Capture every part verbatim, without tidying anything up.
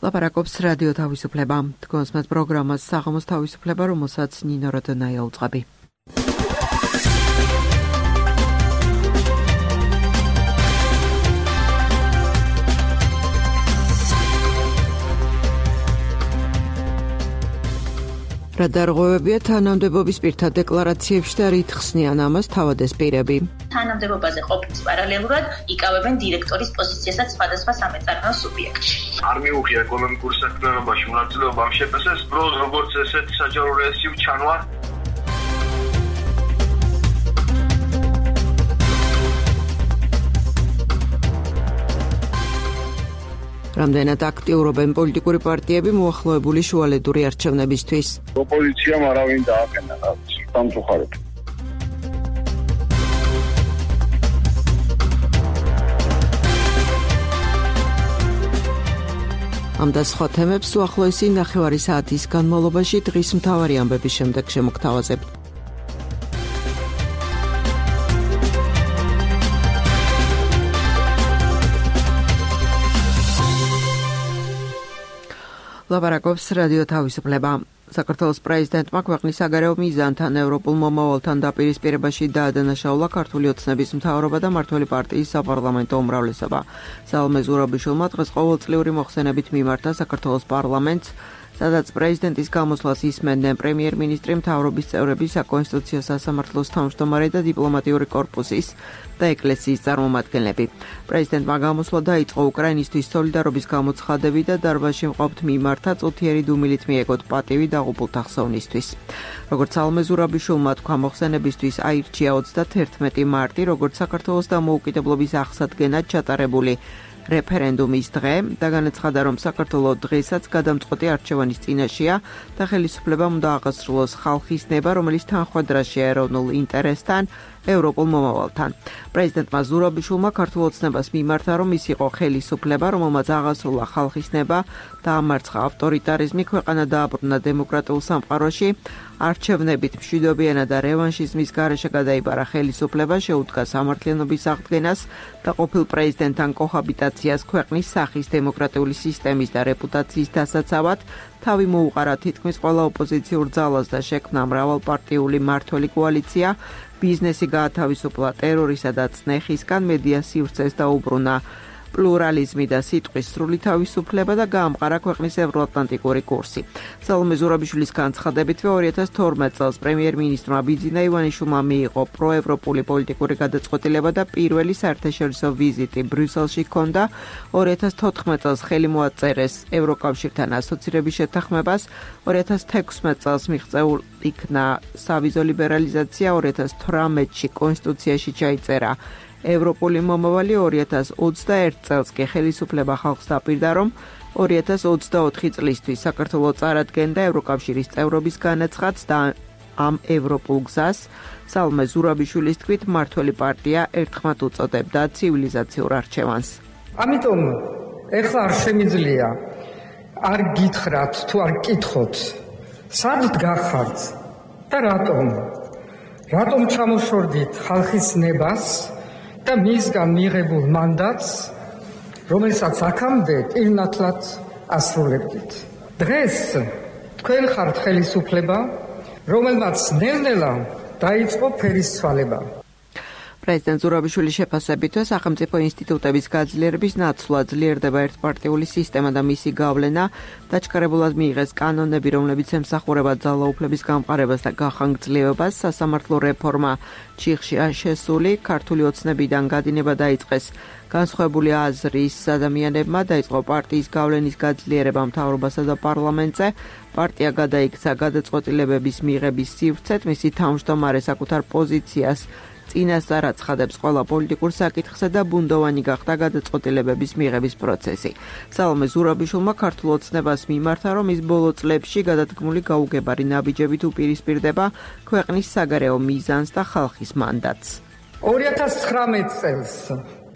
ლაპარაკობს რადიო თავისუფლება. თქვენს მათ პროგრამას საღამოს თავისუფლება, რომელსაც ნინო როდონაია უწყები. რა დარღვევებია თანამდებობის პირთა დეკლარაციებში და რით ხსნიან ამას თავადეს პირები? თანამდებობაზე ყოფნის პარალელურად იკავებენ დირექტორის პოზიციასაც სხვადასხვა სამეწარმეო სუბიექტში. არ მიუღია ეკონომიკურ საქმიანობაში მონაწილეობა ამ შეფასებას, პროს როგორც ესეთ საჯარო რეესიუ ჩანვა. რამდენად აქტიურობენ პოლიტიკური პარტიები მოახლოებული შუალედური არჩევნებისთვის? ოპოზიციამ არავინ დააყენა სამწუხაროდ. ამ და სხვა თემებს უახლოესი ნახევარი საათის განმავლობაში დღის მთავარი ამბების შემდეგ შემოგთავაზებთ. ლაპარაკობს რადიო თავისუფლება. საქართველოს პრეზიდენტმა ქვეყნის საგარეო მიზანთან ევროპულ მომავალთან დაპირისპირებაში დაადანაშაულა ქართული ოცნების მთავრობა და მმართველი პარტიის საპარლამენტო უმრავლესობა. სალომე ზურაბიშვილმა დღეს ყოველწლიური მოხსენებით მიმართა საქართველოს პარლამენტს, სადაც პრეზიდენტის გამოსვლას ისმენდნენ პრემიერ-მინისტრი, მთავრობის წევრები, საკონსტიტუციო სასამართლოს თავმჯდომარე და დიპლომატიური კორპუსის და ეკლესიის წარმომადგენლები. პრეზიდენტმა გამოსვლა დაიწყო უკრაინისთვის სოლიდარობის გამოცხადებით და დარბაზში მყოფთ მიმართა წუთიერი დუმილით მიეგოთ პატივი დაღუპულთა ხსოვნისთვის. როგორც სალომე ზურაბიშვილმა თქვა, მოხსენებისთვის აირჩია ოცდათერთმეტი მარტი, როგორც საქართველოს დამოუკიდებლობის აღსადგენად ჩატარებული რეფერენდუმის დღე და განაცხადა, რომ საქართველოს დღესაც გადამწყვეტი არჩევანის წინაშეა და ხელისუფლებამ უნდა აღასრულოს ხალხის ნება, რომელიც თანხვედრაშია ეროვნულ ინტერესთან, ევროპულ მომავალთან. პრეზიდენტმა ზურაბიშვილმა ქართულ ოცნებას მიმართა, რომ ის იყო ხელისუფლება, რომელმაც აღასრულა ხალხის ნება და ამარცხა ავტორიტარიზმი, ქვეყანა დააბრუნა დემოკრატიულ სამყაროში, არჩევნებით მშვიდობიანად და რევანშიზმის გარეშე გადაიბარა ხელისუფლება, შეუდგა სამართლიანობის აღდგენას და ყოფილ პრეზიდენტთან კოჰაბიტაციას ქვეყნის სახის დემოკრატიული სისტემის და რეპუტაციის დასაცავად, თავი მოუყარა თითქმის ყველა ოპოზიციურ ძალას და შექმნა მრავალპარტიული მმართველი კოალიცია, ბიზნესი გაათავისუფლა ტერორისა და წნეხისგან, მედია სივრცეს დაუბრუნა პლურალიზმი და სიტყვის სრული თავისუფლება და გაამყარა ქვეყნის ევროატლანტიკური კურსი. სალომე ზურაბიშვილის განცხადებითვე ორი ათას თორმეტ წელს პრემიერ-მინისტრმა ბიძინა ივანიშვილმა მიიღო პროევროპული პოლიტიკური გადაწყვეტილება და პირველი საერთაშორისო ვიზიტი ბრიუსელში ჰქონდა. ორი ათას თოთხმეტ წელს ხელი მოაწერეს ევროკავშირთან ასოცირების შეთანხმებას, ორი ათას თექვსმეტ წელს მიღწეულ იქნა სავიზო ლიბერალიზაცია, ორი ათას თვრამეტში კონსტიტუციაში ჩაიწერა ევროპული მომავალი, ორი ათას ოცდაერთ წელს კი ხელისუფლება ხალხს დაპირდა, რომ ორი ათას ოცდაოთხი წლისთვის საქართველოს წარადგენდა ევროკავშირის წევრობის განაცხადს და ამ ევროპულ გზას სალომე ზურაბიშვილის თქმით მმართველი პარტია ერთხმად უწოდებდა ცივილიზაციურ არჩევანს. ამიტომ ეხლა არ შემიძლია არ გითხრათ თუ არ გკითხოთ, სად გახართ და რატომ? რატომ ჩამოშორდით ხალხის ნებას და მისგან მიღებულ მანდატს, რომელსაც აქამდე პირნათლად ასრულებდით. დღეს თქვენ ხართ ხელისუფლება, რომელმაც ნელ-ნელა დაიწყო ფერისცვალება. პრეზიდენტ ზურაბიშვილის შეფასებითვე სახელმწიფო ინსტიტუტების გაძლიერების ნაცვლად ძლიერდება ერთპარტიული სისტემა და მისი გავლენა, დაჩქარებულად მიიღეს კანონები, რომლებიც ემსახურება ძალაუფლების გამყარებას და გახანგრძლივებას, სასამართლო რეფორმა ჩიხშია შესული, ქართული ოცნებიდან გადინება დაიწყეს განსხვავებული აზრის ადამიანებმა, დაიწყო პარტიის გავლენის გაძლიერება მთავრობასა და პარლამენტზე, პარტია გადაიქცა გადაწყვეტილებების მიღების სივრცეთ, მისი თავმჯდომარე საკუთარ პოზიციას წინასწარ აცხადებს ყველა პოლიტიკურ საკითხსა და ბუნდოვანი გახდა გადაწყვეტილებების მიღების პროცესი. სალომე ზურაბიშვილმა ქართულ ოცნებას მიმართა, რომ ის ბოლო წლებში გადადგმული გაუგებარი ნაბიჯებით უპირისპირდება ქვეყნის საგარეო მიზანს და ხალხის მანდატს. ორი ათას ცხრამეტ წელს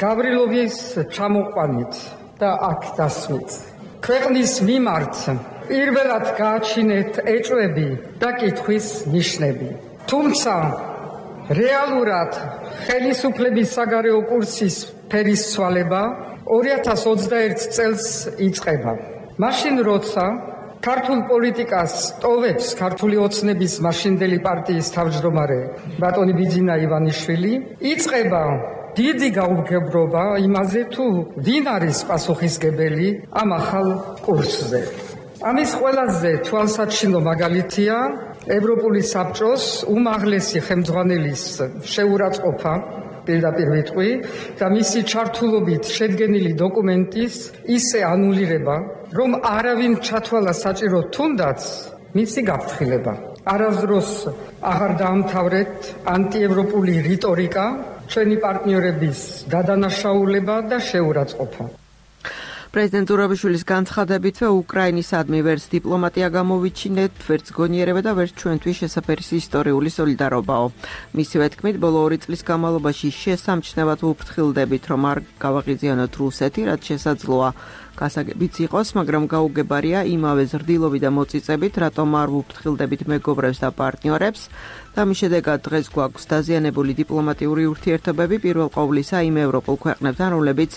გავრილოვის ჩამოყვანით და აქ დასმით ქვეყნის მიმართ პირველად გააჩინეთ ეჭვები და კითხვის ნიშნები. თუმცა რეალურად ხელისუფლების საგარეო კურსის ფერისცვალება ორი ათას ოცდაერთ წელს იწყება. მაშინ როცა ქართულ პოლიტიკას ტოვებს ქართული ოცნების მაშინდელი პარტიის თავმჯდომარე ბატონი ბიძინა ივანიშვილი, იწყება დიდი გაუგებრობა იმაზე, თუ ვინ არის პასუხისმგებელი ამ ახალ კურსზე. ამის ყველაზე თვალსაჩინო მაგალითია ევროპული საბჭოს უმაღლესი ხელმძღვანელის შეურაცხყოფა, პირდაპირ ვიტყვი, და მისი ჩართულობით შედგენილი დოკუმენტის ისე ანულირება, რომ არავინ ჩათვალა საჭირო თუნდაც მისი გაფრთხილება. არასდროს აღარ დაამთავრეთ ანტიევროპული რიტორიკა, ჩვენი პარტნიორების გადანაშაულება და შეურაცხყოფა. პრეზიდენტ ზურაბიშვილის განცხადებითვე უკრაინისადმი ვერც დიპლომატია გამოვიჩინეთ, ვერც გონიერება და ვერც ჩვენთვის შესაფერის ისტორიული სოლიდარობაო. მისივე თქმით, ბოლო ორი წლის განმავლობაში შესამჩნევად ვუფრთხილდებით, რომ არ გავაღიზიანოთ რუსეთი, რაც შესაძლოა გასაგებიც იყოს, მაგრამ გაუგებარია იმავე ზრდილობით და მოწიწებით, რატომ არ ვუფრთხილდებით მეგობრებს და პარტნიორებს. და მის შედეგად დღეს გვაქვს დაზიანებული დიპლომატიური ურთიერთობები პირველ ყოვლისა იმ ევროპულ ქვეყნებთან, რომლებიც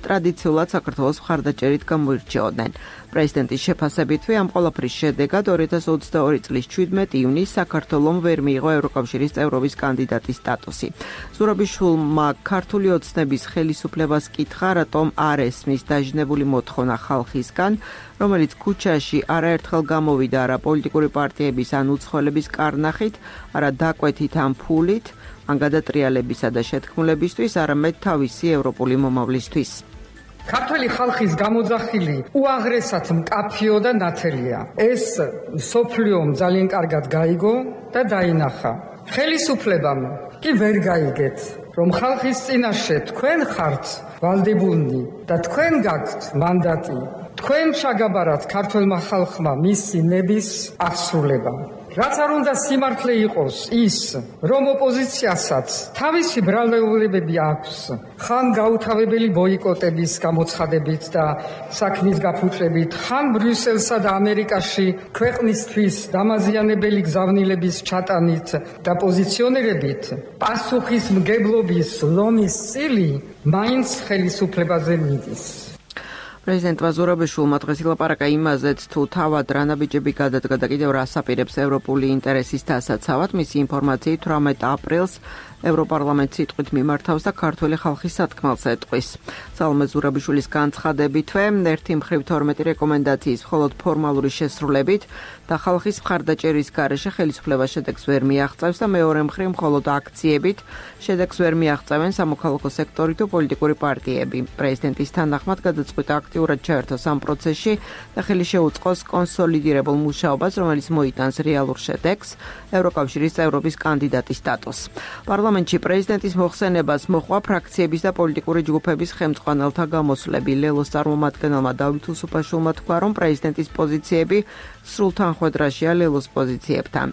ტრადიციულად საქართველოს მხარდაჭერით გამოირჩეოდნენ. პრეზიდენტის შეფასებითვე ამ ყველაფრის შედეგად ორი ათას ოცდაორი წლის ჩვიდმეტ ივნისს საქართველომ ვერ მიიღო ევროკავშირის წევრობის კანდიდატის სტატუსი. ზურაბიშვილმა ქართული ოცნების ხელისუფლებას კითხა, რატომ არ ესმის დაჟინებული მოთხოვნა ხალხისგან, რომელიც ქუჩაში არაერთხელ გამოვიდა არა პოლიტიკური პარტიების ან უცხოელების კარნახით, არა დაკვეთით ან ფულით, ან გადატრიალებისა და შეთქმულებისთვის, არამედ თავისი ევროპული მომავლისთვის. ქართველი ხალხის გამოძახილი უაღრესად მკაფიო და ნათელია. ეს სოფლიომ ძალიან კარგად გაიგო და დაინახა. ხელისუფლებამ კი ვერ გაიგეთ, რომ ხალხის წინაშე თქვენ ხართ ვალდებულნი და თქვენ გაქვთ მანდატი. თქვენ ჩაგაბარათ ქართველმა ხალხმა მისი ნების აღსრულება. რაც არ უნდა სიმართლე იყოს ის, რომ ოპოზიციასაც თავისი ბრალდებულებები აქვს, ხან გაუთავებელი ბოიკოტების გამოცხადებით და საქმის გაფუჭებით, ხან ბრიუსელსა და ამერიკაში ქვეყნისთვის დამაზიანებელი გზავნილების ჩატანით და პოზიციონირებით, პასუხისმგებლობის ლომის წილი მაინც ხელისუფლებაზე მიდის. პრეზიდენტმა ზურაბიშვილმა დღეს ილაპარაკა იმაზეც, თუ თავად რა ნაბიჯები გადადგა და კიდევ რას აპირებს ევროპული ინტერესის დასაცავად. მისი ინფორმაციით თვრამეტ აპრილს ევროპარლამენტს სიტყვით მიმართავს და ქართველი ხალხის სათქმელს ეტყვის. სალომე ზურაბიშვილის განცხადებითვე ერთი მხრივ თორმეტი რეკომენდაციის მხოლოდ ფორმალური შესრულებით და ხალხის მხარდაჭერის გარეშე ხელისუფლება შედეგს ვერ მიაღწევს და მეორე მხრივ მხოლოდ აქციებით შედეგს ვერ მიაღწევენ სამოქალაქო სექტორი თუ პოლიტიკური პარტიები. პრეზიდენტის თანახმად გადაწყვიტა აქტიურად ჩაერთოს ამ პროცესში და ხელი შეუწყოს კონსოლიდირებულ მუშაობას, რომელიც მოიტანს რეალურ შედეგს, ევროკავშირის წევრობის კანდიდატის სტატუსს. პარლამენტში პრეზიდენტის მოხსენებას მოჰყვა ფრაქციების და პოლიტიკური ჯგუფების ხელმძღვანელთა გამოსვლები. ლელოს წარმომადგენელმა დავით უსუფაშვილმა თქვა, რომ პრეზიდენტის პოზიციები სრულ თანხვედრაშია ლელოს პოზიციებთან.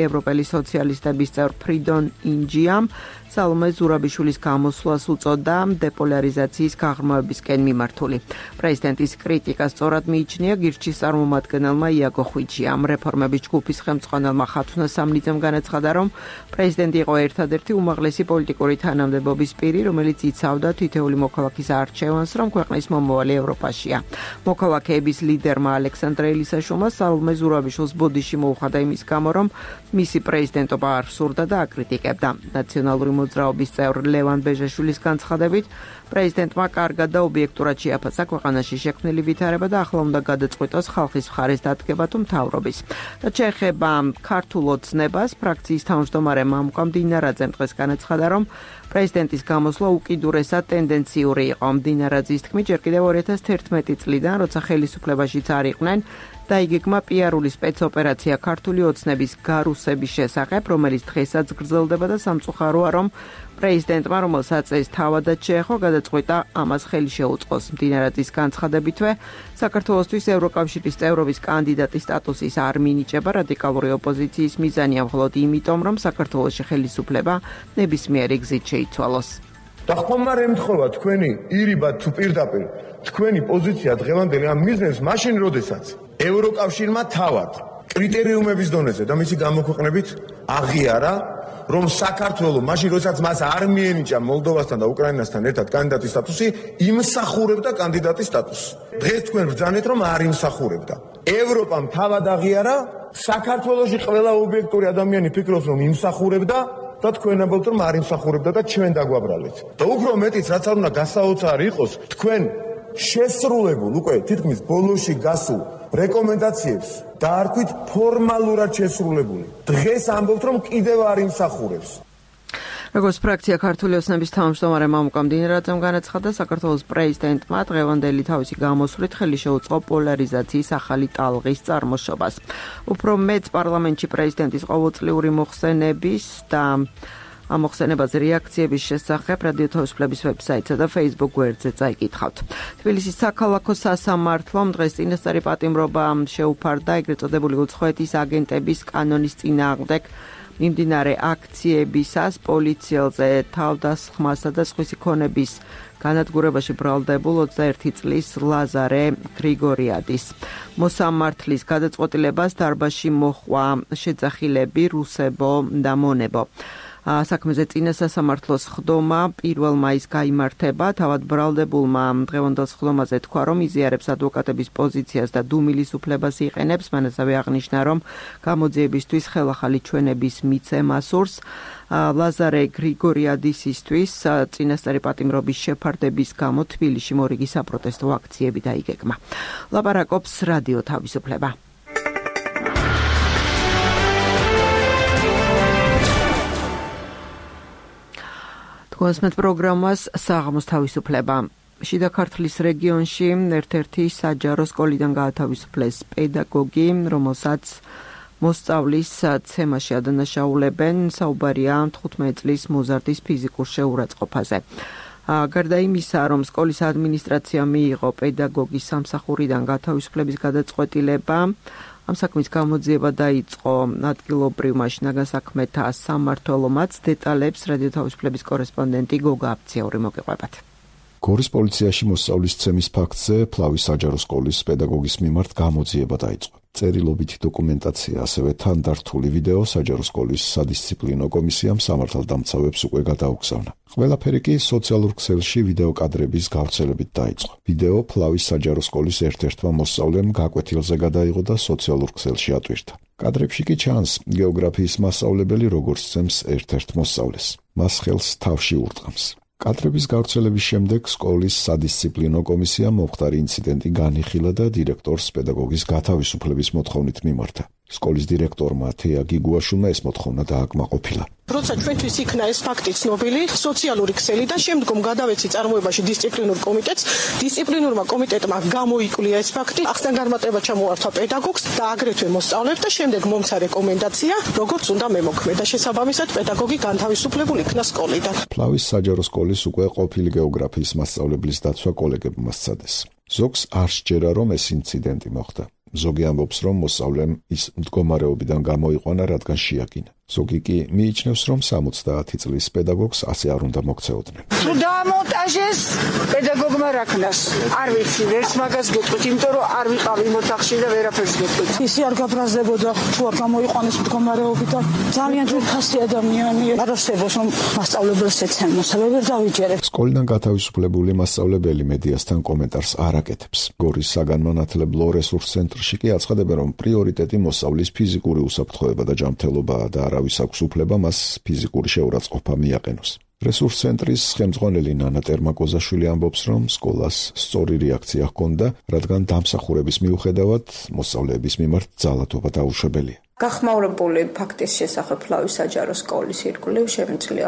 ევროპელი სოციალისტების წევრ ფრიდონ ინჯიამ სალომე ზურაბიშვილის გამოსვლას უწოდა დეპოლარიზაციის გაღრმავებისკენ მიმართული. პრეზიდენტის კრიტიკას სწორად მიიჩნია გირჩის წარმომადგენელმა იაგო ხვიჩიამ. რეფორმების ჯგუფის ხელმძღვანელმა ხათუნა სამნიძემ განაცხადა, რომ პრეზიდენტი იყო ერთადერთი უმაღლესი პოლიტიკური თანამდებობის პირი, რომელიც იცავდა თითოეული მოქალაქის არჩევანს, რომ ქვეყნის მომავალი ევროპაშია. მოქალაქეების ლიდერმა ალექსანდრე ელისაშვილმა სალომე ზურაბიშვილს ბოდიში მოუხადა იმის გამო, რომ მისი პრეზიდენტობა არ სურდა და აკრიტიკებდა. ნაციონალური მოძრაობის წევრ ლევან ბეჟაშვილის განცხადებით, პრეზიდენტმა კარგად და ობიექტურად შეაფასა ქვეყანაში შექმნილი ვითარება და ახლა უნდა გადაწყვიტოს ხალხის მხარეს დადგება თუ მთავრობის. და შეეხება ქართულ ოცნებას, ფრაქციის თავმჯდომარე მამუკა მდინარაძემ დღეს განაცხადა, რომ პრეზიდენტის გამოსვლა უკიდურესად ტენდენციური იყო. მდინარაძის თქმით, ჯერ კიდევ ორი ათას თერთმეტი წლიდან, როცა ხელისუფლებაშიც არ იყვნენ, დაიგეგმა პიარული სპეცოპერაცია ქართული ოცნების გარუსების შესახებ, რომელიც დღესაც გრძელდება და სამწუხაროა, რომ პრეზიდენტმა, რომელსაც ეს თავადაც შეეხო, გადაწყვიტა ამას ხელი შეუწყოს. მდინარაძის განცხადებითვე, საქართველოსთვის ევროკავშირის წევრობის კანდიდატის სტატუსის არ მინიჭება რადიკალური ოპოზიციის მიზანია მხოლოდ იმიტომ, რომ საქართველოში ხელისუფლება ნებისმიერი გზით შეიცვალოს. და ხომ არ ემთხოვა თქვენი ირიბად თუ პირდაპირ თქვენი პოზიცია დღევანდელი ამ მიზნებს მაშინ, როდესაც ევროკავშირმა თავად კრიტერიუმების დონეზე და მისი გამოქვეყნებით აღიარა, რომ საქართველოს მაშინ როდესაც მას არ მიენიჭა მოლდოვასთან და უკრაინასთან ერთად კანდიდატის სტატუსი, იმსახურებდა კანდიდატის სტატუსს. დღეს თქვენ ბრძანეთ რომ არ იმსახურებდა. ევროპამ თავად აღიარა, საქართველოში ყველა ობიექტური ადამიანი ფიქრობს რომ იმსახურებდა და თქვენ ამბობთ რომ არ იმსახურებდა და ჩვენ დაგვაბრალეთ. და უფრო მეტიც რაც არ უნდა გასაოცარი იყოს, თქვენ შესრულებულ უკვე თითქმის ბოლოში გასულ რეკომენდაციებს დაარქვით ფორმალურად შესრულებული. დღეს ამბობთ რომ კიდევ არ იმსახურებს. როგორც ფრაქცია ქართული ოცნების თავმჯდომარე მამუკა მდინარაძემ განაცხადა, საქართველოს პრეზიდენტმა დღევანდელი თავისი გამოსვლით ხელი შეუწყო პოლარიზაციის ახალი ტალღის წარმოშობას. უფრო მეტ პარლამენტში პრეზიდენტის ყოველწლიური მოხსენების და ამ მოხსენებაზე რეაქციების შესახებ რადიო თავისუფლების ვებსაიტსა და Facebook გვერდზე წაიკითხავთ. თბილისის საქალაქო სასამართლომ დღეს წინასწარი პატიმრობა შეუფარდა ეგრეთ წოდებული უცხოეთის აგენტების კანონის წინააღმდეგ მიმდინარე აქციებისას პოლიციელზე თავდასხმასა და სხვისი ქონების განადგურებაში ბრალდებულ ოცდაერთი წლის ლაზარე გრიგორიადის. მოსამართლის გადაწყვეტილებას დარბაზში მოჰყვა შეძახილები რუსებო და მონებო. საქმეზე წინა სასამართლოს ხდომა პირველ მაისს გაიმართება. თავად ბრალდებულმა დღევანდელ ხდომაზე თქვა, რომ იზიარებს ადვოკატების პოზიციას და დუმილის უფლებას იყენებს. მან ასევე აღნიშნა, რომ გამოძიებისთვის ხელახალი ჩვენების მიცემა სურს. ლაზარე გრიგორიადისისთვის წინასწარი პატიმრობის შეფარდების გამო თბილისში მორიგი საპროტესტო აქციები დაიგეგმა. ლაპარაკობს რადიო თავისუფლება. კონსმეთ პროგრამას საღამოს თავისუფლება. შიდა ქართლის რეგიონში ერთ-ერთი საჯარო სკოლიდან გაათავისუფლეს პედაგოგი, რომელსაც მოსწავლის ცემაში ადანაშაულებენ. საუბარია თხუთმეტი წლის მოზარდის ფიზიკურ შეურაცხყოფაზე. გარდა იმისა, რომ სკოლის ადმინისტრაციამ მიიღო პედაგოგის სამსახურიდან გათავისუფლების გადაწყვეტილება, ამ საქმის გამოძიება დაიწყო ადგილობრივ მაშინაგან საქმეთა სამმართველომაც. დეტალებს რადიო თავისუფლების კორესპონდენტი გოგა აფციური მოგეყვებათ. გორის პოლიციაში მოსწავლის ცემის ფაქტზე ფლავის საჯარო სკოლის პედაგოგის მიმართ გამოძიება დაიწყო. წერილობითი დოკუმენტაცია, ასევე თანდართული ვიდეო საჯარო სკოლის სადისციპლინო კომისიამ სამართალდამცავებს უკვე გადაუგზავნა. ყველაფერი კი სოციალურ ქსელში ვიდეო კადრების გავრცელებით დაიწყო. ვიდეო ფლავის საჯარო სკოლის ერთ-ერთმა მოსწავლემ გაკვეთილზე გადაიღო და სოციალურ ქსელში ატვირთა. კადრებში კი ჩანს გეოგრაფიის მასწავლებელი როგორც ცემს ერთ-ერთ მოსწავლეს. მას ხელს თავში ურტყამს. კადრების გავრცელების შემდეგ სკოლის სადისციპლინო კომისიამ მომხდარი ინციდენტი განიხილა და დირექტორს პედაგოგის გათავისუფლების მოთხოვნით მიმართა. სკოლის დირექტორმა თეა გიგუაშვილმა ეს მოთხოვნა დააკმაყოფილა. როცა ჩვენთვის იქნა ეს ფაქტი ცნობილი, სოციალური ქსელი და შემდგომ გადავეცი წარმოებაში დისციპლინურ კომიტეტს, დისციპლინურმა კომიტეტმა გამოიკვლია ეს ფაქტი, ახსნა განმარტება ჩამოართვა პედაგოგს და აგრეთვე მოსწავლებს და შემდეგ მომცა რეკომენდაცია, როგორც უნდა მემოქმედა. შესაბამისად, პედაგოგი განთავისუფლებული იქნა სკოლიდან. ფლავის საჯარო სკოლის უკვე ყოფილი გეოგრაფიის მასწავლებლის დაცვა კოლეგებმა სცადეს. ზოგს არ სჯერა, რომ ეს ინციდენტი მოხდა. ზოგი ამბობს, რომ მოსწავლემ ის მდგომარეობიდან გამოიყვანა, რადგან შეაკინა. ზოგი კი მიიჩნევს, რომ სამოცდაათი წლის პედაგოგს ასე არ უნდა მოქცეოდნენ. თუ დაამონტაჟეს, პედაგოგმა რა ქნას? არ ვიცი, ვერც მაგას გეტყვით, იმიტომ რომ არ ვიყავი იმ ოთახში და ვერაფერს გეტყვით. ისი არ გაბრაზდებოდა, თუ არ გამოიყვანეს მდგომარეობიდან. ძალიან ძვირფასი ადამიანია. არასდროს რომ მასწავლებელს ეცემოს, ვერ დავიჯერებ. სკოლიდან გათავისუფლებული მასწავლებელი მედიასთან კომენტარს არ აკეთებს. გორის საგანმანათლებლო რესურს ცენტრში კი აცხადებენ, რომ პრიორიტეტი მოსწავლის ფიზიკური უსაფრთხოება და ჯანმრთელობაა და არავის აქვს უფლება მას ფიზიკური შეურაცხყოფა მიაყენოს. რესურს ცენტრის ხელმძღვანელი ნანა ტერმაკოზაშვილი ამბობს, რომ სკოლას სწორი რეაქცია ჰქონდა, რადგან დამსახურების მიუხედავად მოსწავლეების მიმართ ძალადობა დაუშვებელია. გახმაურებული ფაქტის შესახებ ფლავის საჯარო სკოლის ირგვლივ შემიძლია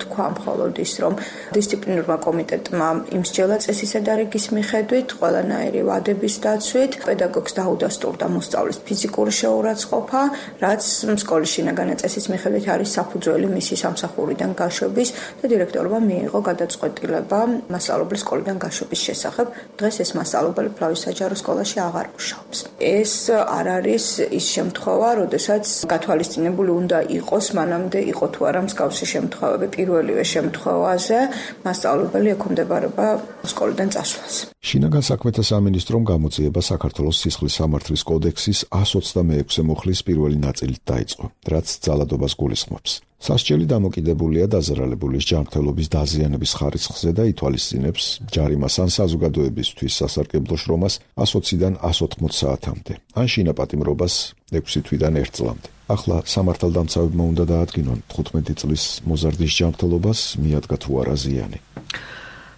თქვა მხოლოდ ის, რომ დისციპლინურმა კომიტეტმა იმსჯელა წესისა და რიგის მიხედვით, ყველანაირი ვადების დაცვით, პედაგოგს დაუდასტურდა მოსწავლის ფიზიკური შეურაცხყოფა, რაც სკოლის შინაგანი წესის მიხედვით არის საფუძველი მისი სამსახურიდან გაშვების და დირექტორმა მიიღო გადაწყვეტილება მასწავლებლის სკოლიდან გაშვების შესახებ. დღეს ეს მასწავლებელი ფლავის საჯარო სკოლაში აღარ მუშაობს. ეს არ არის ის შემთხვევა, როდესაც გათვალისწინებული უნდა იყოს, მანამდე იყო თუ არა მსგავსი შემთხვევები. პირველივე შემთხვევაზე მასწავლებელი ექვემდებარება სკოლიდან წასვლას. შინაგან საქმეთა სამინისტრომ გამოძიება საქართველოს სისხლის სამართლის კოდექსის εκατს ოცდამეექვსე მუხლის პირველი ნაწილით დაიწყო, რაც ძალადობას გულისხმობს. სასჯელი დამოკიდებულია დაზარალებულის ჯანმრთელობის დაზიანების ხარისხზე და ითვალისწინებს ჯარიმას ან საზოგადოებისთვის სასარგებლო შრომას ასოციდან ასი ოცდაოთხ საათამდე, ან შინაპატიმრობას ექვსი თვიდან ერთ წლამდე. ახლა სამართალდამცავებმა უნდა დაადგინონ თხუთმეტი წლის მოზარდის ჯანმრთელობას მიადგა თუ არა ზიანი.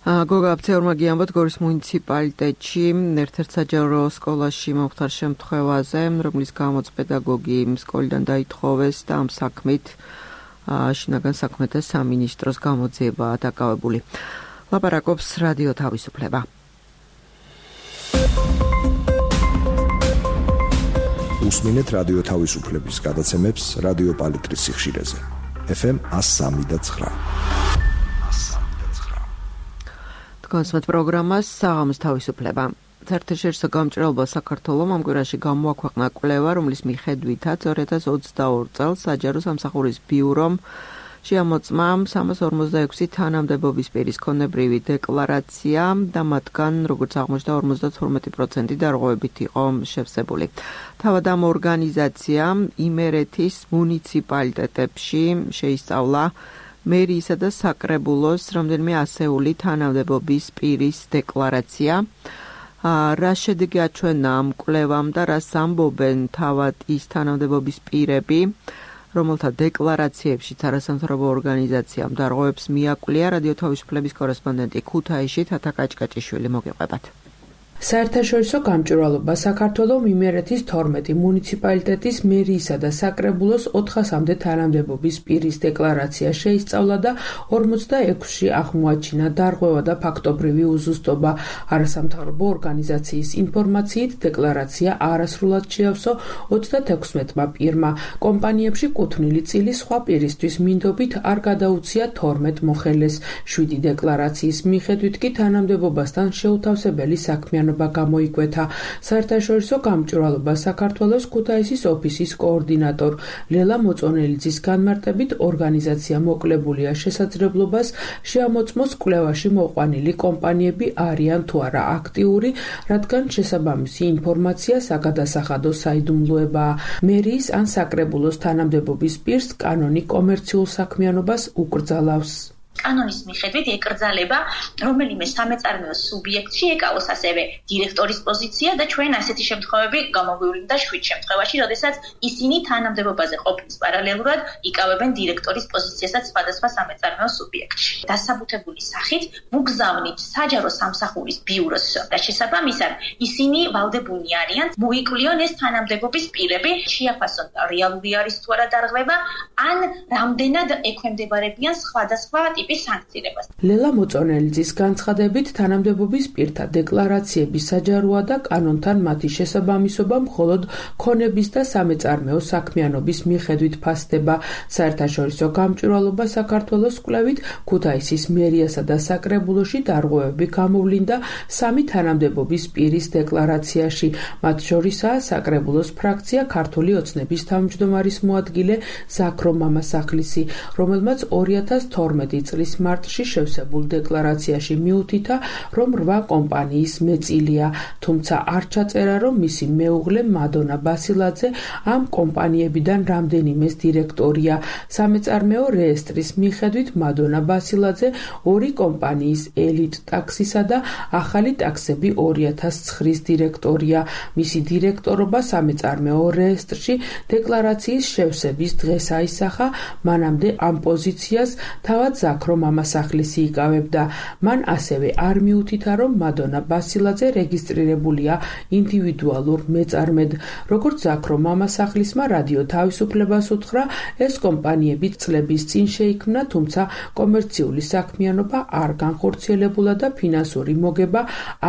გოგა აფცეურმა გიამბოთ გორის მუნიციპალიტეტში ერთ-ერთ საჯარო სკოლაში მომხდარ შემთხვევაზე, რომლის გამოც პედაგოგი სკოლიდან დაითხოვეს და ამ საქმით შინაგან საქმეთა სამინისტროს გამოძიებაა დაკავებული. ლაპარაკობს რადიო თავისუფლება. უსმინეთ რადიო თავისუფლების გადაცემებს რადიო პალიტრის სიხშირეზე. ეფ ემ one oh three point nine. კონსმეთ პროგრამას საღამოს თავისუფლება. საერთაშორისო გამჭრელობა საქართველოს ამ კვირაში გამოაქვეყნა კვლევა, რომლის მიხედვითაც ორი ათას ოცდაორი წელს საჯარო სამსახურის ბიურომ შეამოწმა სამას ორმოცდაექვსი თანამდებობის პირის ქონებრივი დეკლარაცია და მათგან, როგორც აღმოჩნდა, ორმოცდათორმეტი პროცენტი დარღვევებით იყო შევსებული. თავად ამ ორგანიზაციამ იმერეთის მუნიციპალიტეტებში შეისწავლა მერიისა და საკრებულოს რამდენიმე ასეული თანამდებობის პირის დეკლარაცია. რა შედეგი აჩვენა ამ კვლევამ და რას ამბობენ თავად ის თანამდებობის პირები, რომელთა დეკლარაციებში არასამთავრობო ორგანიზაციამ დარღვევებს მიაკვლია, რადიო თავისუფლების კორესპონდენტი ქუთაისში თათა კაჭკაჭიშვილი მოგიყვებათ. საერთაშორისო გამჭვირვალობა საქართველოს იმერეთის თორმეტი მუნიციპალიტეტის მერიისა და საკრებულოს ოთხასამდე თანამდებობის პირის დეკლარაცია შეისწავლა და ორმოცდაექვსში აღმოაჩინა დარღვევა და ფაქტობრივი უზუსტობა. არასამთავრობო ორგანიზაციის ინფორმაციით დეკლარაცია არასრულად შეავსო ოცდათექვსმეტმა პირმა. კომპანიებში კუთვნილი წილი სხვა პირისთვის მინდობით არ გადაუცია თორმეტ მოხელეს. შვიდი დეკლარაციის მიხედვით კი თანამდებობასთან შეუთავსებელი საქმიანობა გამოიკვეთა. საერთაშორისო გამჭვირვალობა საქართველოს ქუთაისის ოფისის კოორდინატორ ლელა მოწონელიძის განმარტებით ორგანიზაცია მოკლებულია შესაძლებლობას შეამოწმოს კვლევაში მოყვანილი კომპანიები არიან თუ არა აქტიური, რადგან შესაბამისი ინფორმაცია საგადასახადო საიდუმლოებაა. მერიის ან საკრებულოს თანამდებობის პირს კანონი კომერციულ საქმიანობას უკრძალავს. კანონის მიხედვით ეკრძალება რომელიმე სამეწარმეო სუბიექტში ეკავოს ასევე დირექტორის პოზიცია და ჩვენ ასეთი შემთხვევები გამოგვივლინდა შვიდ შემთხვევაში, როდესაც ისინი თანამდებობაზე ყოფნის პარალელურად იკავებენ დირექტორის პოზიციასაც სხვადასხვა სამეწარმეო სუბიექტში. დასაბუთებული სახით მუგზავნით საჯარო სამსახურის ბიუროს და შესაბამისად ისინი ვალდებულნი არიან მოიკვლიონ ეს თანამდებობის პირები, შეაფასონ რეალური არის თუ არა დარღვევა, ან რამდენად ექვემდებარებიან სხვადასხვა სანქციებას. ლელა მოწონელიძის განცხადებით თანამდებობის პირთა დეკლარაციების საჯაროა და კანონთან მათი შესაბამისობა მხოლოდ ქონების და სამეწარმეო საქმიანობის მიხედვით ფასდება. საერთაშორისო გამჭვირვალობა საქართველოს კვლევით ქუთაისის მერიასა და საკრებულოში დარღვევები გამოვლინდა სამი თანამდებობის პირის დეკლარაციაში. მათ შორისაა საკრებულოს ფრაქცია ქართული ოცნების თავმჯდომარის მოადგილე ზაქრო მამასახლისი, რომელმაც ორი ათას თორმეტი წლის მარტში შევსებულ დეკლარაციაში მიუთითა, რომ რვა კომპანიის მეწილია, თუმცა არ ჩაწერა, რომ მისი მეუღლე მადონა ბასილაძე ამ კომპანიებიდან რამდენიმეს დირექტორია. სამეწარმეო რეესტრის მიხედვით მადონა ბასილაძე ორი კომპანიის ელიტ ტაქსისა და ახალი ტაქსები ორი ათას ცხრის დირექტორია. მისი დირექტორობა სამეწარმეო რეესტრში დეკლარაციის შევსების დღეს აისახა, მანამდე ამ პოზიციას თავად ზაქრო მამასახლისი იკავებდა. მან ასევე არ მიუთითა, რომ მადონა ბასილაძე რეგისტრირებულია ინდივიდუალურ მეწარმედ. როგორც ზაქრო მამასახლისმა რადიო თავისუფლებას უთხრა, ეს კომპანიები წლების წინ შეიქმნა, თუმცა კომერციული საქმიანობა არ განხორციელებულა და ფინანსური მოგება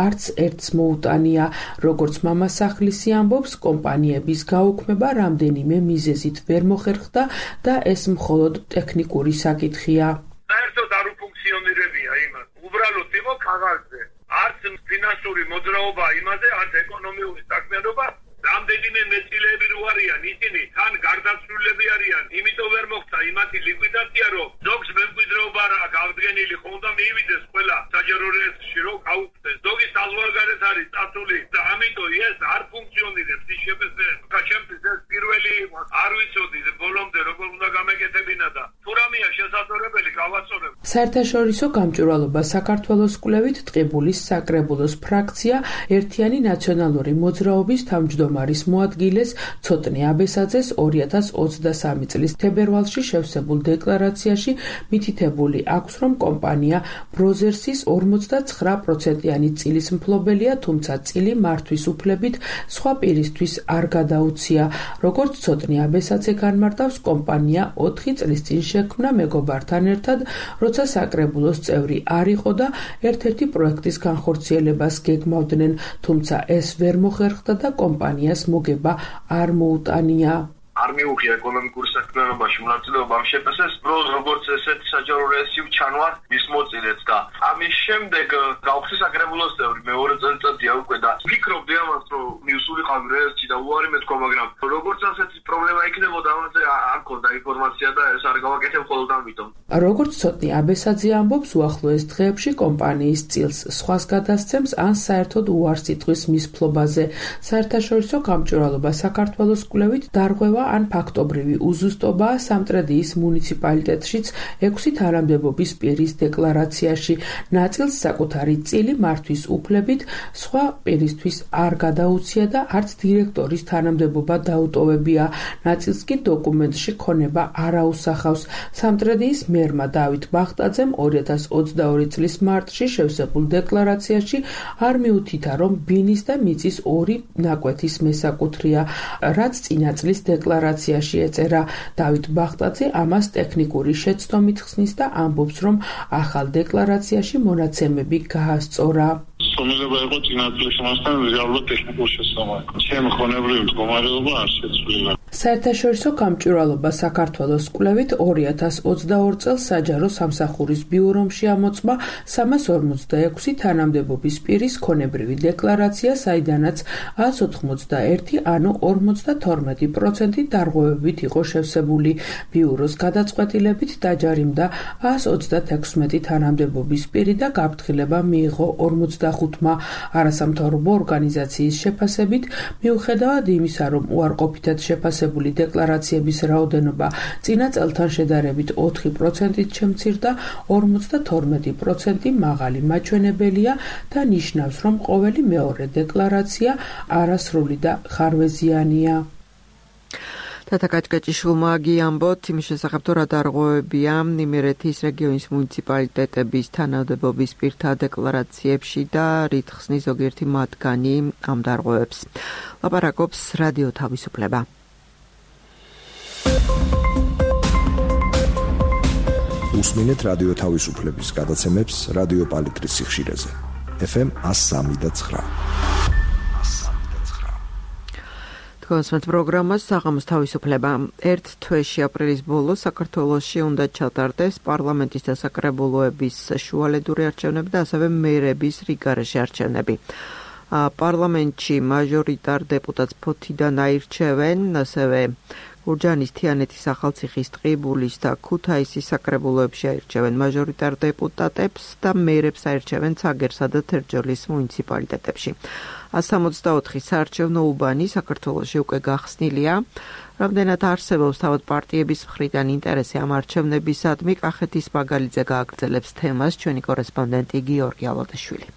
არც ერთს მოუტანია. როგორც მამასახლისი ამბობს, კომპანიების გაუქმება რამდენიმე მიზეზით ვერ მოხერხდა და ეს მხოლოდ ტექნიკური საკითხია. საერთოდ არ უფუნქციონირებია იმას. უბრალოდ იყო ქაღალდზე. არც ფინანსური მოძრაობა იმაზე, არც ეკონომიური საქმიანობა. რამდენიმე მეწილეები რო არიან, ისინი თან გარდაცვლილები არიან. იმიტომ ვერ მოხდა იმათი ლიკვიდაცია, რომ ზოგს მემკვიდრეობა რა გავდგენილი ხონდა მიივიდეს ყველა საჯარო რეესტრში რომ გაუქმდეს. ზოგი საზღვარგარეთ არის წასული და ამიტომ ეს არ ფუნქციონირებს ის შეფასება. ჩემთვის ეს პირველი იყო. არ ვიცოდი ბოლომდე როგორ უნდა გამეკეთებინა და თუ დავაწორებ. საერთაშორისო გამჭვირვალობა საქართველოს კვლევით ტყიბულის საკრებულოს ფრაქცია ერთიანი ნაციონალური მოძრაობის თავმჯდომარის მოადგილეს ცოტნე აბესაძეს ორი ათას ოცდასამი წლის თებერვალში შევსებულ დეკლარაციაში მითითებული აქვს, რომ კომპანია ბროზერსის ორმოცდაცხრა პროცენტიანი წილის მფლობელია, თუმცა წილი მართვის უფლებით სხვა პირისთვის არ გადაუცია. როგორც ცოტნე აბესაძე განმარტავს, კომპანია ოთხი წლის წინ შექმნა მეგობართან ერთად, როცა საკრებულოს წევრი არ იყო და ერთ-ერთი პროექტის განხორციელებას გეგმავდნენ, თუმცა ეს ვერ მოხერხდა და კომპანიას მოგება არ მოუტანია. არ მიუღია ეკონომიკური საქმიანობაში მონაწილეობამ შეფასეს ბროს როგორც ესეთი საჯარო რეესიუ ჩანვარ მის მოწილეთ და ამის შემდეგ გავხსნი საკრებულოს წევრი მეორე წელიწადია უკვე და ვფიქრობდი ამას რომ მიუსულიყავი რეესში და უარი მეთქვა მაგრამ როგორც ასეთი პრობლემა იქნებოდა ამაზე არ ქონდა ინფორმაცია და ეს არ გავაკეთებ მხოლოდ ამიტომ. როგორც ცოტნე აბესაძე ამბობს, უახლოეს დღეებში კომპანიის წილს სხვას გადასცემს ან საერთოდ უარს იტყვის მის ფლობაზე. საერთაშორისო გამჭვირვალობა საქართველოს კვლევით დარღვევა ან ფაქტობრივი უზუსტობაა სამტრედიის მუნიციპალიტეტშიც ექვსი თანამდებობის პირის დეკლარაციაში. ნაწილს საკუთარი წილი მართვის უფლებით სხვა პირისთვის არ გადაუცია და არც დირექტორის თანამდებობა დაუტოვებია. ნაწილს კი დოკუმენტში ქონება არ აუსახავს. სამტრედიის მერმა დავით ბახტაძემ ორი ათას ოცდაორი წლის მარტში შევსებულ დეკლარაციაში არ მიუთითა, რომ ბინის და მიწის ორი ნაკვეთის მესაკუთრეა, რაც წინა წლის დეკლარაციაში ეწერა. დავით ბახტაძე ამას ტექნიკური შეცდომით ხსნის და ამბობს, რომ ახალ დეკლარაციაში მონაცემები გაასწორა. სომილება იყო წინა წლის მასთან რეალურად ტექნიკურ შეცდომად. ჩემი ხონებრივი მდგომარეობა არ შეცვლილა. საერთაშორისო გამჭვირვალობა საქართველოს კვლევით ორი ათას ოცდაორ წელს საჯარო სამსახურის ბიურომში ამოწმა სამას ორმოცდაექვსი თანამდებობის პირის ქონებრივი დეკლარაცია, საიდანაც ას ოთხმოცდაერთი ანუ ორმოცდათორმეტი პროცენტი დარღვევებით იყო შევსებული. ბიუროს გადაწყვეტილებით დაჯარიმდა ას ოცდათექვსმეტი თანამდებობის პირი და გაფრთხილება მიიღო ორმოცდახუთმა. არასამთავრობო ორგანიზაციის შეფასებით, მიუხედავად იმისა, რომ უარყოფითად შეფასებული დეკლარაციების რაოდენობა წინა წელთან შედარებით ოთხი პროცენტით შემცირდა, ორმოცდათორმეტი პროცენტი მაღალი მაჩვენებელია და ნიშნავს, რომ ყოველი მეორე დეკლარაცია არასრული და ხარვეზიანია. თათა კაჭკაჭიშვილმა გიამბოთ იმის შესახებ, თუ რა დარღვევებია იმერეთის რეგიონის მუნიციპალიტეტების თანამდებობის პირთა დეკლარაციებში და რით ხსნის ზოგიერთი მათგანი ამ დარღვევებს. ლაპარაკობს რადიო თავისუფლება. უსმინეთ რადიო თავისუფლების გადაცემებს რადიო პალიტრის სიხშირეზე. ეფ ემ ას სამი და ცხრა. თქვენს პროგრამას საღამოს თავისუფლება. ერთ თვეში აპრილის ბოლოს საქართველოში უნდა ჩატარდეს პარლამენტის და საკრებულოების შუალედური არჩევნები და ასევე მერების რიგარეშე არჩევნები. პარლამენტში მაჟორიტარ დეპუტატს ფოთიდან აირჩევენ, ასევე გურჯაანის, თიანეთის, ახალციხის, ტყიბულის და ქუთაისის საკრებულოებში აირჩევენ მაჟორიტარ დეპუტატებს და მერებს აირჩევენ ცაგერსა და თერჯოლის მუნიციპალიტეტებში. ას სამოცდაოთხი საარჩევნო უბანი საქართველოში უკვე გახსნილია. რამდენად არსებობს თავად პარტიების მხრიდან ინტერესი ამ არჩევნებისადმი, კახეთის მაგალითზე გააგრძელებს თემას ჩვენი კორესპონდენტი გიორგი ალოდაშვილი.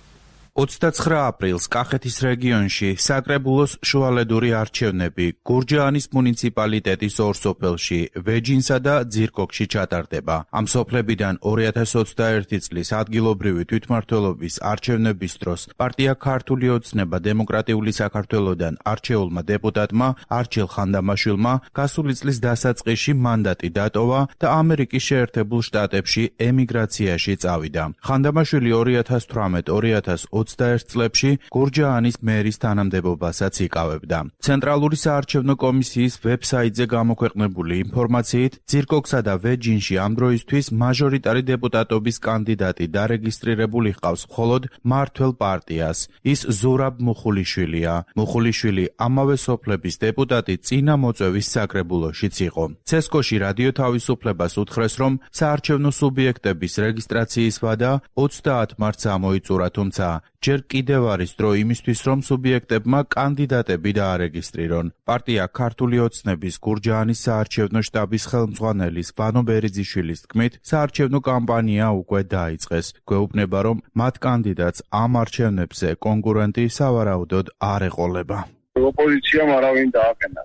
ოცდაცხრა აპრილს კახეთის რეგიონში საკრებულოს შუალედური არჩევნები გურჯაანის მუნიციპალიტეტის ორ სოფელში, ვეჯინსა და ძირკოქში ჩატარდება. ამ სოფლებიდან ორი ათას ოცდაერთი წლის ადგილობრივი თვითმმართველობის არჩევნების დროს პარტია ქართული ოცნება დემოკრატიული საქართველოდან არჩეულმა დეპუტატმა არჩილ ხანდამაშვილმა გასული წლის დასაწყისში მანდატი დატოვა და ამერიკის შეერთებულ შტატებში ემიგრაციაში წავიდა. ხანდამაშვილი ორი ათას თვრამეტ ორი ათას ოცდაერთ წლებში გურჯაანის მერის თანამდებობასაც იკავებდა. ცენტრალური საარჩევნო კომისიის ვებსაიტზე გამოქვეყნებული ინფორმაციით, ძირკოქსა და ვეჯინში ამ დროისთვის მაჟორიტარი დეპუტატობის კანდიდატი დარეგისტრირებული ჰყავს მხოლოდ მართველ პარტიას. ის ზურაბ მუხულიშვილია. მუხულიშვილი ამავე სოფლების დეპუტატი წინა მოწვევის საკრებულოშიც იყო. ცესკოში რადიო თავისუფლებას უთხრეს, რომ საარჩევნო სუბიექტების რეგისტრაციის ვადა ოცდაათ მარტს ამოიწურა, თუმცა ჯერ კიდევ არის დრო იმისთვის, რომ სუბიექტებმა კანდიდატები დაარეგისტრირონ. პარტია ქართული ოცნების გურჯაანის საარჩევნო შტაბის ხელმძღვანელის ვანო ბერიძიშვილის თქმით, საარჩევნო კამპანია უკვე დაიწყეს. გვეუბნება, რომ მათ კანდიდატს ამ არჩევნებზე კონკურენტი სავარაუდოდ არ ეყოლება. ოპოზიციამ არავინ დააყენა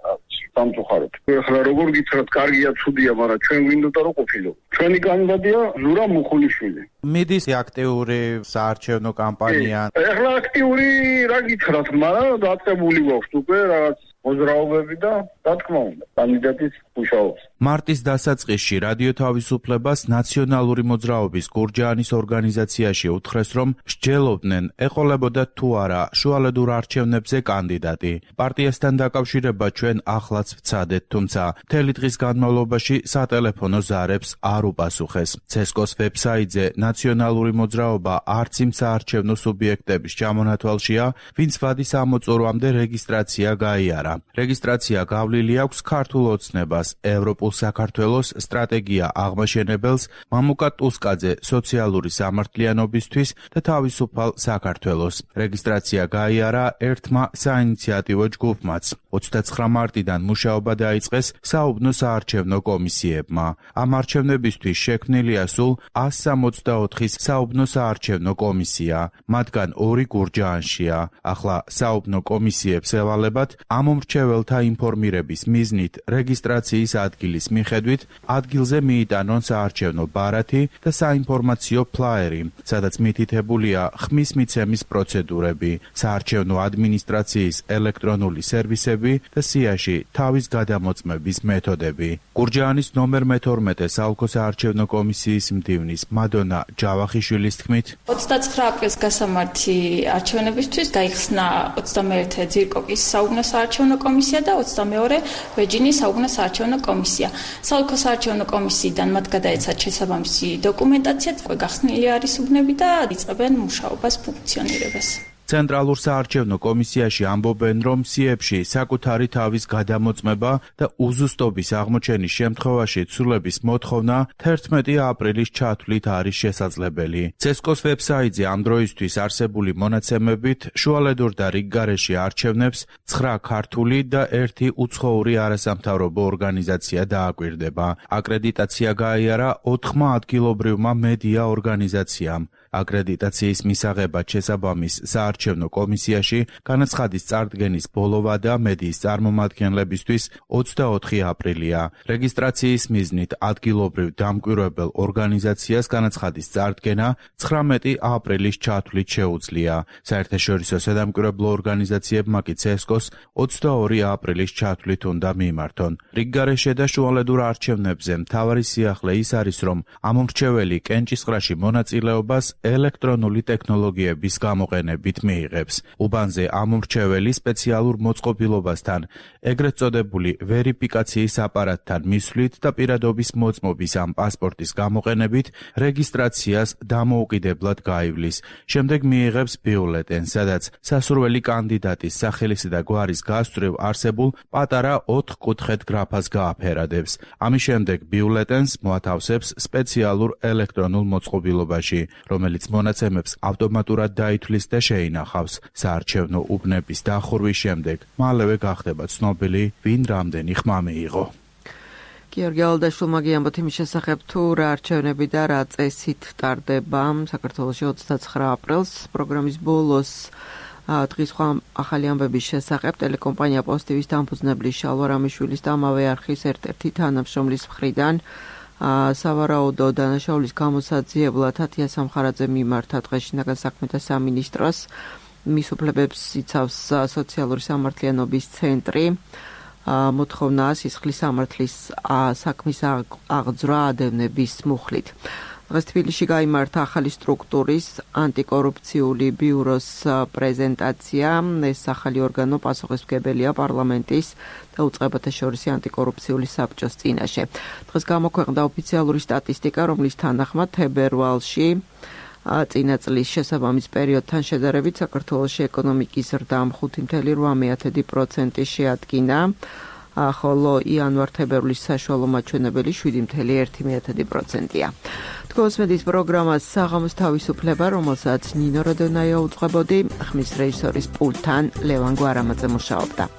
სამწუხაროდ. ახლა როგორ გითხრათ, კარგია, ცუდია, მაგრამ ჩვენ გვინდოდა რომ ყოფილო. ჩვენი კანდიდატია ზურაბ მუხულიშვილი. მიდის აქტიური საარჩევნო კამპანია. ახლა აქტიური რა გითხრათ, მაგრამ დაწყებული გვაქვს უკვე რაღაც მოძრაობები და რა თქმა უნდა, კანდიდატის მუშაობს. მარტის დასაწყისში რადიო თავისუფლებას ნაციონალური მოძრაობის გურჯაანის ორგანიზაციაში უთხრეს, რომ მსჯელობდნენ, ეყოლებოდა თუ არა შუალედურ არჩევნებზე კანდიდატი. პარტიასთან დაკავშირება ჩვენ ახლაც ვცადეთ, თუმცა მთელი დღის განმავლობაში სატელეფონო ზარებს არ უპასუხეს. ცესკოს ვებსაიტზე ნაციონალური მოძრაობა არც იმ საარჩევნო სუბიექტების ჩამონათვალშია, ვინც ვადის ამოწურვამდე რეგისტრაცია გაიარა. რეგისტრაცია გავლილი აქვს ქართულ ოცნებას, ევროპულ საქართველოს სტრატეგია აღმაშენებელს, მამუკა ტუსკაძე სოციალური სამართლიანობისთვის და თავისუფალ საქართველოს. რეგისტრაცია გაიარა ერთმა საინიციატივო ჯგუფმაც. ოცდაცხრა მარტიდან მუშაობა დაიწყეს საუბნო საარჩევნო კომისიებმა. ამ არჩევნებისთვის შექმნილია სულ ას სამოცდაოთხი საუბნო საარჩევნო კომისია, მათგან ორი გურჯაანშია. ახლა საუბნო კომისიებს ევალებათ ამ მრჩეველთა ინფორმირების მიზნით რეგისტრაციის ადგილის მიხედვით ადგილზე მიიტანონ საარჩევნო ბარათი და საინფორმაციო ფლაერი, სადაც მითითებულია ხმის მიცემის პროცედურები, საარჩევნო ადმინისტრაციის ელექტრონული სერვისები და სიაში თავის გადამოწმების მეთოდები. გურჯაანის ნომერ მეთორმეტე საოლქო საარჩევნო კომისიის მდივნის მადონა ჯავახიშვილის თქმით, ოცდაცხრა აპრილს გასამართი არჩევნებისთვის გაიხსნა ოცდამეერთე ძირკოკის საუბნო საარჩევნო კომისია და ოცდამეორე ვეჯინის საუბნო საარჩევნო კომისია. საოლქო საარჩევნო კომისიიდან მათ გადაეცათ შესაბამისი დოკუმენტაცია, გახსნილი არის უბნები და იწყებენ მუშაობას, ფუნქციონირებას. ცენტრალურ საარჩევნო კომისიაში ამბობენ, რომ სიებში საკუთარი თავის გადამოწმება და უზუსტობის აღმოჩენის შემთხვევაში ცვლილების მოთხოვნა თერთმეტი აპრილის ჩათვლით არის შესაძლებელი. ცესკოს ვებსაიტზე ამ დროისთვის არსებული მონაცემებით შუალედურ და რიგგარეში არჩევნებს ცხრა ქართული და ერთი უცხოური არასამთავრობო ორგანიზაცია დააკვირდება. აკრედიტაცია გაიარა ოთხმა ადგილობრივმა მედია ორგანიზაციამ. აკრედიტაციის მისაღებად შესაბამის საარჩევნო კომისიაში განაცხადის წარდგენის ბოლოვადა მედიის წარმომადგენლებისთვის ოცდაოთხი აპრილია. რეგისტრაციის მიზნით ადგილობრივ დამკვირვებელ ორგანიზაციას განაცხადის წარდგენა ცხრამეტი აპრილის ჩათვლით შეუძლია. საერთაშორისო სადამკვირვებლო ორგანიზაციებმა კი ცესკოს ოცდაორი აპრილის ჩათვლით უნდა მიმართონ. რიგგარეშე და შუალედურ არჩევნებზე მთავარი სიახლე ის არის, რომ ამ მრჩეველი კენჭისყრაში მონაწილეობას ელექტრონული ტექნოლოგიების გამოყენებით მიიღებს. უბანზე ამ მრჩეველი სპეციალურ მოწყობილობასთან, ეგრეთ წოდებული ვერიფიკაციის აპარატთან მისვლით და პირადობის მოწმობის ამ პასპორტის გამოყენებით რეგისტრაციას დამოუკიდებლად გაივლის. შემდეგ მიიღებს ბიულეტენს, სადაც სასურველი კანდიდატის სახელისა და გვარის გასწვრივ არსებულ პატარა ოთხკუთხედ გრაფას გააფერადებს. ამის შემდეგ ბიულეტენს მოათავსებს სპეციალურ ელექტრონულ მოწყობილობაში, რომელიც მონაცემებს ავტომატურად დაითვლის და შეინახავს. საარჩევნო უბნების დახურვის შემდეგ მალევე გახდება ცნობილი, ვინ რამდენი ხმა მიიღო. გიორგი ალდაშვილმა გიამბოთ იმის შესახებ, თუ რა არჩევნები და რა წესით ტარდება საქართველოში ოცდაცხრა აპრილს. პროგრამის ბოლოს დღის სხვა ახალი ამბების შესახებ ტელეკომპანია პოსტივის დამფუძნებლის შალვა რამიშვილის და ამავე არხის ერთ-ერთი თანამშრომლის მხრიდან სავარაუდო დანაშაულის გამოსაძიებლად ათია სამხარაძე მიმართა დღეს შინაგან საქმეთა სამინისტროს. მის უფლებებს იცავს სოციალური სამართლიანობის ცენტრი. მოთხოვნა სისხლის სამართლის საქმის აღძვრა ადევნების მუხლით. დღეს თბილისში გაიმართა ახალი სტრუქტურის ანტიკორუფციული ბიუროს პრეზენტაცია. ეს ახალი ორგანო პასუხისმგებელია პარლამენტის და უწყებათა შორისი ანტიკორუფციული საბჭოს წინაშე. დღეს გამოქვეყნდა ოფიციალური სტატისტიკა, რომლის თანახმად თებერვალში წინა წლის შესაბამის პერიოდთან შედარებით საქართველოში ეკონომიკის ზრდამ ხუთი წუთი ოთხ პროცენტი შეადგინა, ხოლო იანვარ-თებერვლის საშუალო მაჩვენებელი შვიდი წუთი ერთი პროცენტია. თქოსმედის პროგრამას საღამოს თავისუფლება, რომელსაც ნინო როდონაია უძღვებოდი, ხმის რეჟისორის პულტთან ლევან გვარამაძე მუშაობდა.